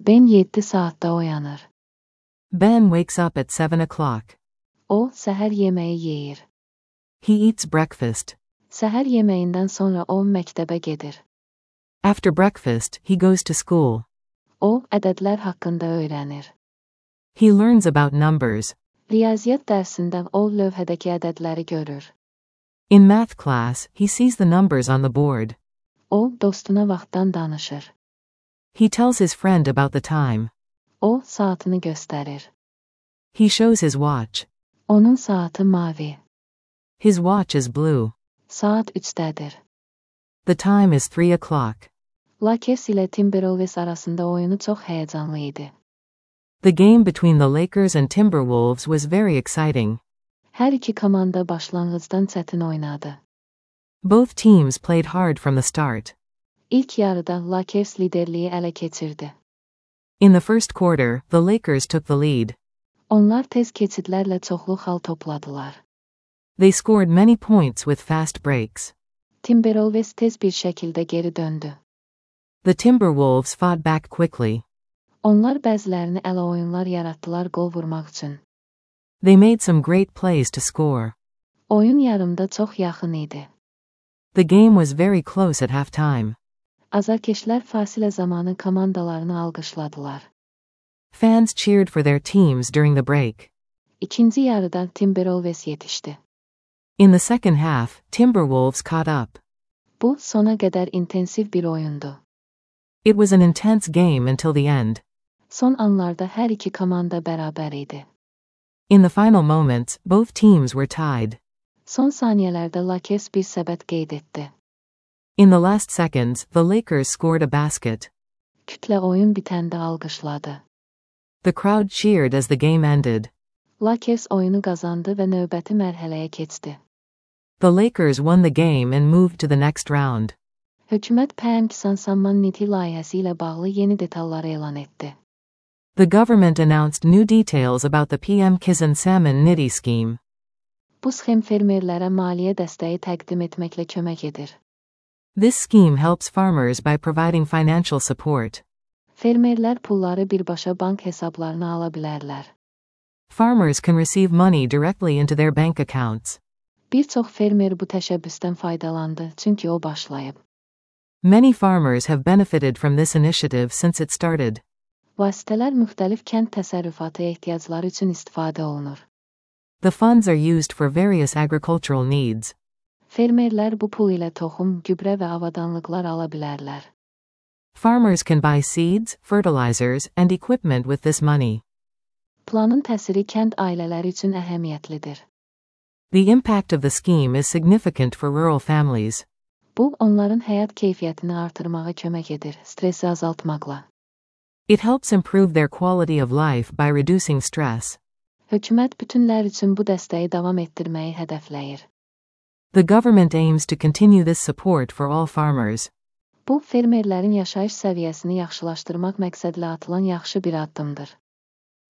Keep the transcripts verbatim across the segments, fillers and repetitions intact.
Ben yedi saatte uyanır. Ben wakes up at seven o'clock. O, səhər yeməyi yeyir. He eats breakfast. Səhər yeməyindən sonra o məktəbə gedir. After breakfast, he goes to school. O, ədədlər haqqında öyrənir. He learns about numbers. Riyaziyyat dərsində o lövhədəki ədədləri görür. In math class, he sees the numbers on the board. O, dostuna vaxtdan danışır. He tells his friend about the time. O, saatını göstərir. He shows his watch. Onun saatı mavi. His watch is blue. Saat üçdədir. The time is three o'clock. Lakers ilə Timberwolves arasında oyunu çox həyəcanlı idi. The game between the Lakers and Timberwolves was very exciting. Hər iki komanda başlanğıcdan çətin oynadı. Both teams played hard from the start. İlk yarıda Lakers liderliyi ələ keçirdi. In the first quarter, the Lakers took the lead. Onlar tez keçidlərlə çoxlu xal topladılar. They scored many points with fast breaks. Timberwolves tez bir şəkildə geri döndü. The Timberwolves fought back quickly. Onlar bəzilərini ələ oyunlar yaratdılar qol vurmaq üçün. They made some great plays to score. Oyun yarımda çox yaxın idi. The game was very close at halftime. Azarkeşlər fasilə zamanı komandalarını alqışladılar. Fans cheered for their teams during the break. İkinci yarıda Timberwolves yetişdi. In the second half, Timberwolves caught up. Bu, sona qədər intensiv bir oyundu. It was an intense game until the end. Son anlarda hər iki komanda bərabər idi. In the final moments, both teams were tied. Son saniyələrdə Lakers bir səbət qeyd etdi. In the last seconds, the Lakers scored a basket. Kütlə oyun bitəndə alqışladı. The crowd cheered as the game ended. Lakers oyunu qazandı və növbəti mərhələyə keçdi. The Lakers won the game and moved to the next round. Hökumət P M Kisan Niti layihəsi ilə bağlı yeni detalları elan etdi. The government announced new details about the P M Kisan Salmon Niti scheme. Bu sxem fermerlərə maliyyə dəstəyi təqdim etməklə kömək edir. This scheme helps farmers by providing financial support. Fermerlər pulları birbaşa bank hesablarına ala bilərlər. Farmers can receive money directly into their bank accounts. Bir çox fermer bu təşəbbüsdən faydalandı, çünki o başlayıb. Many farmers have benefited from this initiative since it started. Vasitələr müxtəlif kənd təsərrüfatı ehtiyacları üçün istifadə olunur. The funds are used for various agricultural needs. Fermerlər bu pul ilə toxum, gübrə və avadanlıqlar ala bilərlər. Farmers can buy seeds, fertilizers, and equipment with this money. Planın təsiri kənd ailələri üçün əhəmiyyətlidir. The impact of the scheme is significant for rural families. Bu, onların həyat keyfiyyətini artırmağa kömək edir, stresi azaltmaqla. It helps improve their quality of life by reducing stress. Hökumət bütünlər üçün bu dəstəyi davam etdirməyi hədəfləyir. The government aims to continue this support for all farmers. Bu, fermerlərin yaşayış səviyyəsini yaxşılaşdırmaq məqsədlə atılan yaxşı bir addımdır.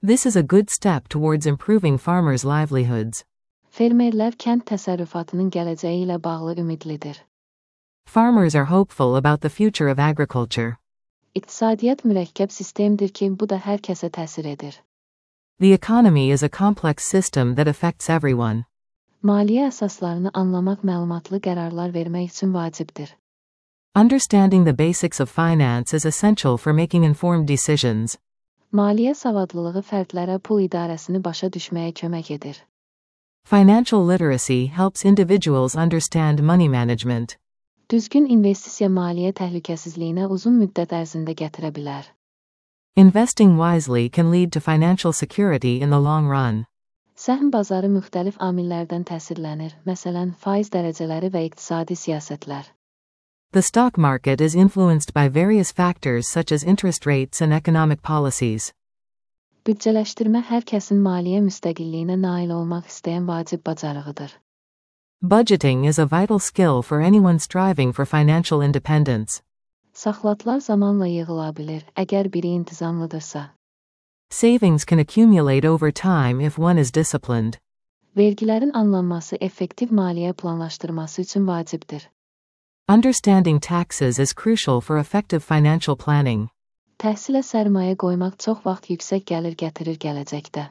This is a good step towards improving farmers' livelihoods. Fermerlər kənd təsərrüfatının gələcəyi ilə bağlı ümidlidir. Farmers are hopeful about the future of agriculture. İqtisadiyyat mürəkkəb sistemdir ki, bu da hər kəsə təsir edir. The economy is a complex system that affects everyone. Maliyyə əsaslarını anlamaq məlumatlı qərarlar vermək üçün vacibdir. Understanding the basics of finance is essential for making informed decisions. Maliyyə savadlılığı fərdlərə pul idarəsini başa düşməyə kömək edir. Financial literacy helps individuals understand money management. Düzgün investisiya maliyyə təhlükəsizliyinə uzun müddət ərzində gətirə bilər. Investing wisely can lead to financial security in the long run. Səhm bazarı müxtəlif amillərdən təsirlənir, məsələn, faiz dərəcələri və iqtisadi siyasətlər. The stock market is influenced by various factors such as interest rates and economic policies. Büdcələşdirmə hər kəsin maliyyə müstəqilliyinə nail olmaq istəyən vacib bacarığıdır. Budgeting is a vital skill for anyone striving for financial independence. Saxlatlar zamanla yığıla bilir, əgər biri intizamlıdırsa. Savings can accumulate over time if one is disciplined. Vergilərin anlanması effektiv maliyyə planlaşdırması üçün vacibdir. Understanding taxes is crucial for effective financial planning. Təhsilə sərmayə qoymaq çox vaxt yüksək gəlir gətirir gələcəkdə.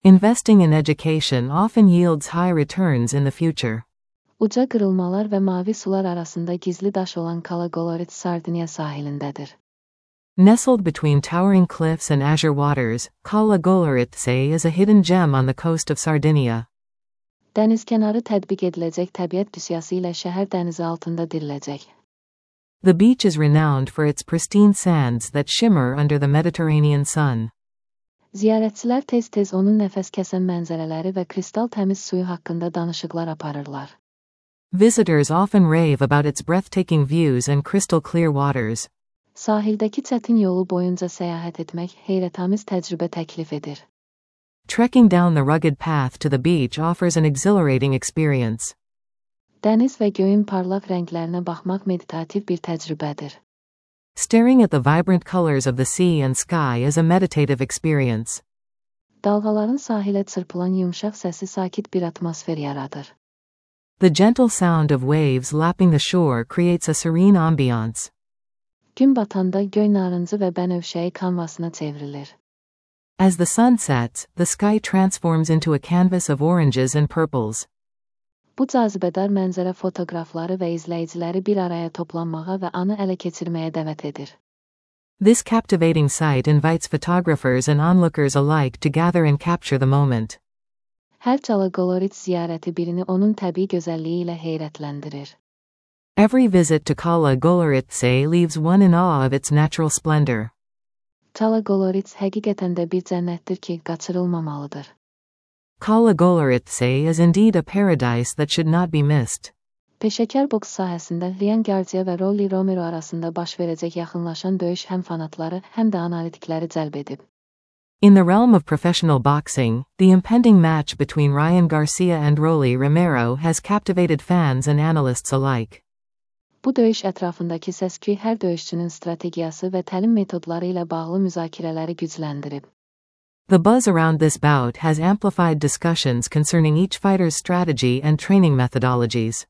Investing in education often yields high returns in the future. Uca qırılmalar və mavi sular arasında gizli daş olan Cala Golorite Sardinia sahilindədir. Nestled between towering cliffs and azure waters, Cala Golorite is a hidden gem on the coast of Sardinia. Dənizkənarı tətbiq ediləcək təbiət düsyası ilə şəhər dənizi altında diriləcək. The beach is renowned for its pristine sands that shimmer under the Mediterranean sun. Ziyarətçilər tez-tez onun nəfəs kəsən mənzərələri və kristal təmiz suyu haqqında danışıqlar aparırlar. Visitors often rave about its breathtaking views and crystal clear waters. Sahildəki çətin yolu boyunca səyahət etmək heyrətamiz təcrübə təklif edir. Trekking down the rugged path to the beach offers an exhilarating experience. Dəniz və göyün parlaq rənglərinə baxmaq meditativ bir təcrübədir. Staring at the vibrant colors of the sea and sky is a meditative experience. Dalğaların sahilə çırpılan yumşaq səsi sakit bir atmosfer yaradır. The gentle sound of waves lapping the shore creates a serene ambiance. Gün batanda göy narıncı və bənövşəyi kanvasına çevrilir. As the sun sets, the sky transforms into a canvas of oranges and purples. Bu cazibədar mənzərə fotoqrafları və izləyiciləri bir araya toplanmağa və anı ələ keçirməyə dəvət edir. This captivating sight invites photographers and onlookers alike to gather and capture the moment. Hər Cala Golorite ziyarəti birini onun təbii gözəlliyi ilə heyrətləndirir. Every visit to Cala Golorite leaves one in awe of its natural splendor. Cala Golorite həqiqətən də bir cənnətdir ki, qaçırılmamalıdır. Cala Golorite is indeed a paradise that should not be missed. Peşəkar boks sahəsində Ryan Garcia və Rolly Romero arasında baş verəcək yaxınlaşan döyüş həm fanatları, həm də analitikləri cəlb edib. In the realm of professional boxing, the impending match between Ryan Garcia and Rolly Romero has captivated fans and analysts alike. Bu döyüş ətrafındakı səs-küy hər döyüşçünün strategiyası və təlim metodları ilə bağlı müzakirələri gücləndirib. The buzz around this bout has amplified discussions concerning each fighter's strategy and training methodologies.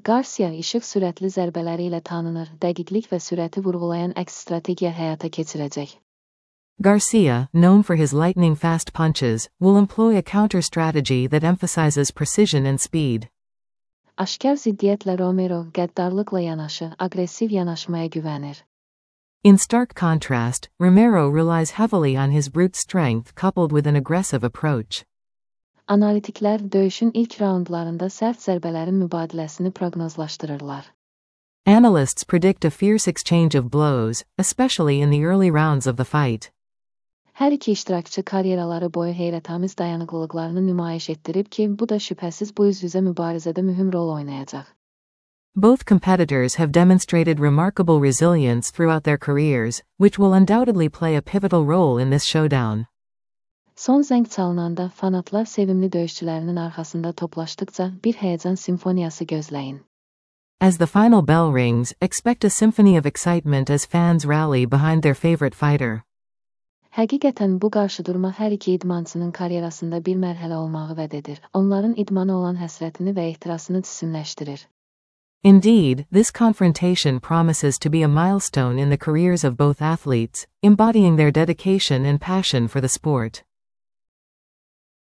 Garcia işıq sürətli zərbələri ilə tanınır, dəqiqlik və sürəti vurğulayan əks strategiya həyata keçirəcək. Garcia, known for his lightning-fast punches, will employ a counter-strategy that emphasizes precision and speed. Aşkar ziddiyyətlə Romero qəddarlıqla yanaşı, aqressiv yanaşmaya güvənir. In stark contrast, Romero relies heavily on his brute strength coupled with an aggressive approach. Analitiklər döyüşün ilk raundlarında sərt zərbələrin mübadiləsini proqnozlaşdırırlar. Analysts predict a fierce exchange of blows, especially in the early rounds of the fight. Hər iki iştirakçı karyeraları boyu heyrətamiz dayanıqlılıqlarını nümayiş etdirib ki, bu da şübhəsiz bu üz-üzə mübarizədə mühüm rol oynayacaq. Both competitors have demonstrated remarkable resilience throughout their careers, which will undoubtedly play a pivotal role in this showdown. Son zəng çalınanda fanatlar sevimli döyüşçülərinin arxasında toplaşdıqca bir həyəcan simfoniyası gözləyin. As the final bell rings, expect a symphony of excitement as fans rally behind their favorite fighter. Həqiqətən bu qarşıdurma hər iki idmançının karyerasında bir mərhələ olmağı vəd edir. Onların idmana olan həsrətini və ehtirasını cisimləşdirir. Indeed, this confrontation promises to be a milestone in the careers of both athletes, embodying their dedication and passion for the sport.